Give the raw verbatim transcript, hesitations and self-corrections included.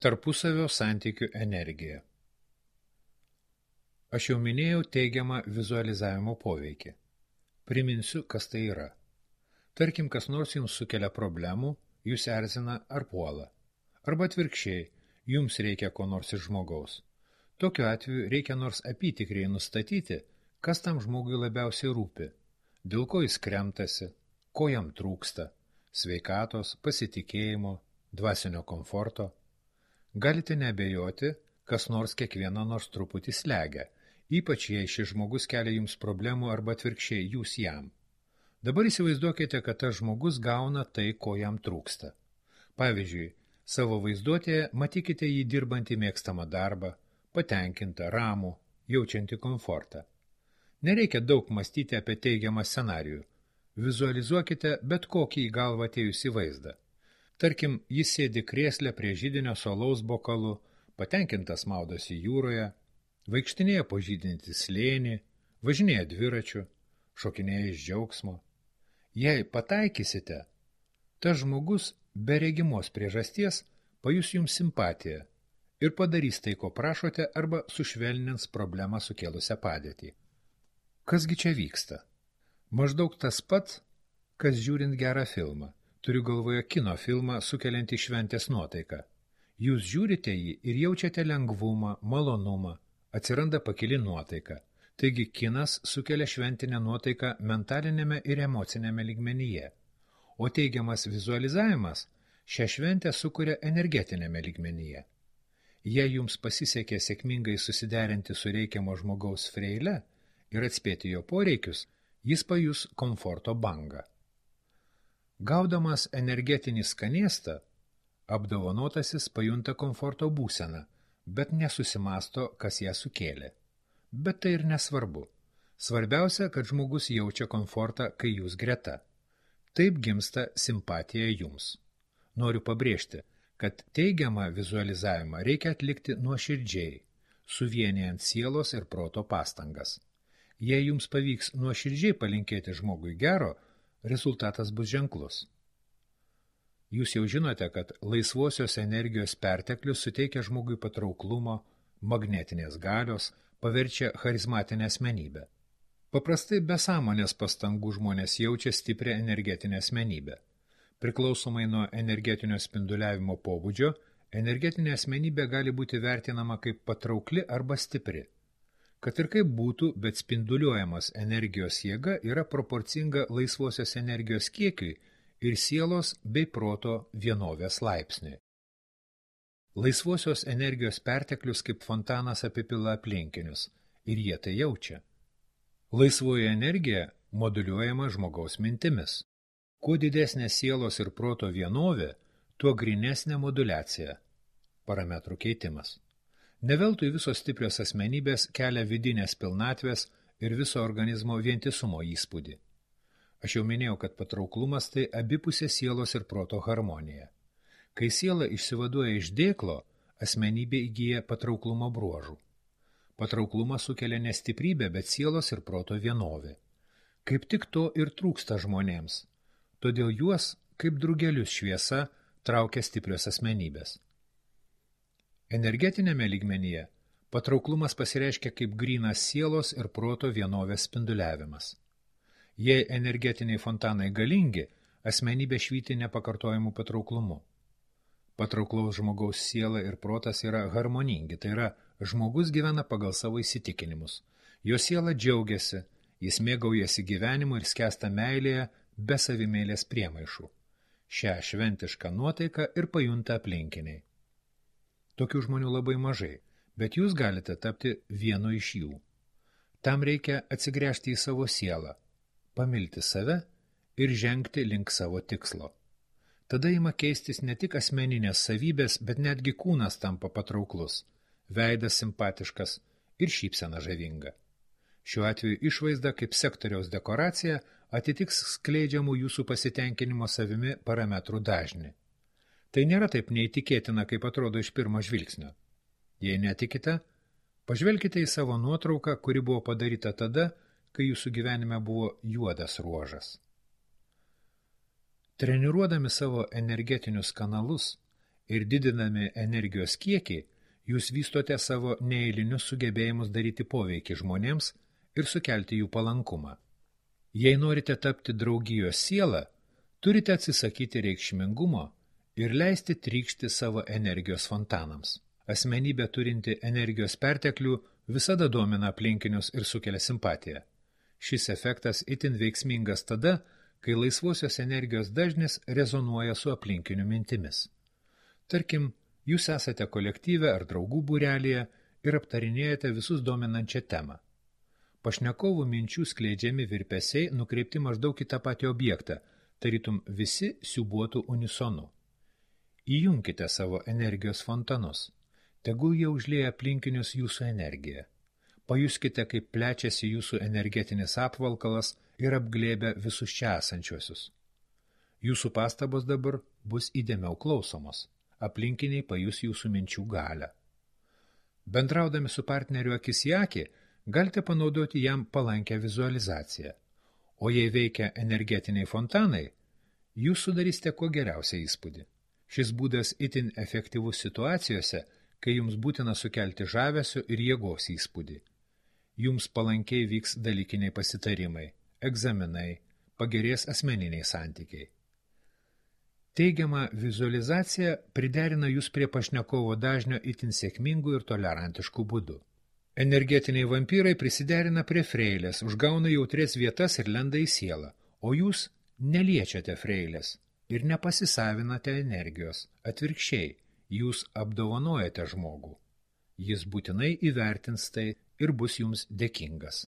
Tarpusavio santykių energija. Aš jau minėjau teigiamą vizualizavimo poveikį. Priminsiu, kas tai yra. Tarkim, kas nors jums sukelia problemų, jūs erzina ar puola. Arba atvirkščiai, jums reikia ko nors iš žmogaus. Tokiu atveju reikia nors apytikriai nustatyti, kas tam žmogui labiausiai rūpi, dėl ko jis kremtasi, ko jam trūksta, sveikatos, pasitikėjimo, dvasinio komforto. Galite neabejoti, kas nors kiekvieną nors truputį slegia, ypač jei šis žmogus kelia jums problemų arba atvirkščiai jūs jam. Dabar įsivaizduokite, kad tas žmogus gauna tai, ko jam trūksta. Pavyzdžiui, savo vaizduotėje matykite jį dirbantį mėgstamą darbą, patenkintą, ramų, jaučiantį komfortą. Nereikia daug mąstyti apie teigiamą scenarijų. Vizualizuokite bet kokį į galvą atėjusį vaizdą. Tarkim, jis sėdi krėsle prie židinio su alaus bokalu, patenkintas maudosi jūroje, vaikštinėja po žydintį slėnį, važinėja dviračiu, šokinėja iš džiaugsmo. Jei pataikysite, tas žmogus be regimos priežasties pajus jums simpatiją ir padarys tai, ko prašote, arba sušvelnins problemą sukėlusią padėtį. Kasgi čia vyksta? Maždaug tas pats, kas žiūrint gerą filmą. Turiu galvoje kino filmą sukeliantį šventės nuotaiką. Jūs žiūrite jį ir jaučiate lengvumą, malonumą, atsiranda pakili nuotaika. Taigi kinas sukelia šventinę nuotaiką mentalinėme ir emocinėme lygmenyje, o teigiamas vizualizavimas šią šventę sukuria energetinėme lygmenyje. Jei jums pasisekė sėkmingai susiderinti su reikiamo žmogaus freile ir atspėti jo poreikius, jis pajus komforto bangą. Gaudamas energetinį skanėstą, apdovanotasis pajunta komforto būseną, bet nesusimasto, kas ją sukėlė. Bet tai ir nesvarbu. Svarbiausia, kad žmogus jaučia komfortą, kai jūs greta. Taip gimsta simpatija jums. Noriu pabrėžti, kad teigiamą vizualizavimą reikia atlikti nuoširdžiai, suvienijant sielos ir proto pastangas. Jei jums pavyks nuoširdžiai palinkėti žmogui gero, rezultatas bus ženklus. Jūs jau žinote, kad laisvosios energijos perteklius suteikia žmogui patrauklumo, magnetinės galios, paverčia charizmatinę asmenybę. Paprastai be sąmonės pastangų žmonės jaučia stiprią energetinę asmenybę. Priklausomai nuo energetinio spinduliavimo pobūdžio, energetinė asmenybė gali būti vertinama kaip patraukli arba stipri. Kad ir kaip būtų, bet spinduliuojamas energijos jėga yra proporcinga laisvosios energijos kiekiui ir sielos bei proto vienovės laipsniui. Laisvosios energijos perteklius kaip fontanas apipila aplinkinius, ir jie tai jaučia. Laisvoji energija moduliuojama žmogaus mintimis. Kuo didesnė sielos ir proto vienovė, tuo grynesnė moduliacija, parametrų keitimas. Neveltui visos stiprios asmenybės kelia vidinės pilnatvės ir viso organizmo vientisumo įspūdį. Aš jau minėjau, kad patrauklumas tai abipusė sielos ir proto harmonija. Kai siela išsivaduoja iš dėklo, asmenybė įgyja patrauklumo bruožų. Patrauklumą sukelia ne stiprybė, bet sielos ir proto vienovė. Kaip tik to ir trūksta žmonėms. Todėl juos, kaip drugelius šviesa, traukia stiprios asmenybės. Energetinėme lygmenyje patrauklumas pasireiškia kaip grynas sielos ir proto vienovės spinduliavimas. Jei energetiniai fontanai galingi, asmenybė švyti nepakartojamų patrauklumu. Patrauklaus žmogaus siela ir protas yra harmoningi, tai yra, žmogus gyvena pagal savo įsitikinimus. Jo siela džiaugiasi, jis mėgaujasi gyvenimu ir skęsta meilėje be savimėlės priemaišų. Šią šventišką nuotaiką ir pajunta aplinkiniai. Tokių žmonių labai mažai, bet jūs galite tapti vienu iš jų. Tam reikia atsigręžti į savo sielą, pamilti save ir žengti link savo tikslo. Tada ima keistis ne tik asmeninės savybės, bet netgi kūnas tampa patrauklus, veidas simpatiškas ir šypsena žavinga. Šiuo atveju išvaizda kaip sektoriaus dekoracija atitiks skleidžiamų jūsų pasitenkinimo savimi parametrų dažnį. Tai nėra taip neįtikėtina, kaip atrodo iš pirmo žvilgsnio. Jei netikite, pažvelkite į savo nuotrauką, kuri buvo padaryta tada, kai jūsų gyvenime buvo juodas ruožas. Treniruodami savo energetinius kanalus ir didinami energijos kiekį, jūs vystote savo neeilinius sugebėjimus daryti poveikį žmonėms ir sukelti jų palankumą. Jei norite tapti draugijos siela, turite atsisakyti reikšmingumo ir leisti trykšti savo energijos fontanams. Asmenybė turinti energijos perteklių visada domina aplinkinius ir sukelia simpatiją. Šis efektas itin veiksmingas tada, kai laisvosios energijos dažnis rezonuoja su aplinkinių mintimis. Tarkim, jūs esate kolektyve ar draugų būrelyje ir aptarinėjate visus dominančią temą. Pašnekovų minčių skleidžiami virpesiai nukreipti maždaug į tą patį objektą, tarytum visi siūbuotų unisonu. Įjunkite savo energijos fontanus. Tegul jie užlieja aplinkinius jūsų energiją. Pajuskite, kaip plečiasi jūsų energetinis apvalkalas ir apglėbia visus čia esančiuosius. Jūsų pastabos dabar bus įdėmiau klausomos. Aplinkiniai pajus jūsų minčių galią. Bendraudami su partneriu akis į akį, galite panaudoti jam palankę vizualizaciją. O jei veikia energetiniai fontanai, jūs sudarysite kuo geriausią įspūdį. Šis būdas itin efektyvus situacijose, kai jums būtina sukelti žavesio ir jėgos įspūdį. Jums palankiai vyks dalykiniai pasitarimai, egzaminai, pagerės asmeniniai santykiai. Teigiama vizualizacija priderina jūs prie pašnekovo dažnio itin sėkmingų ir tolerantiškų būdų. Energetiniai vampyrai prisiderina prie freilės, užgauna jautrias vietas ir lenda į sielą, o jūs neliečiate freilės ir nepasisavinate energijos. Atvirkščiai, jūs apdovanojate žmogų. Jis būtinai įvertins tai ir bus jums dėkingas.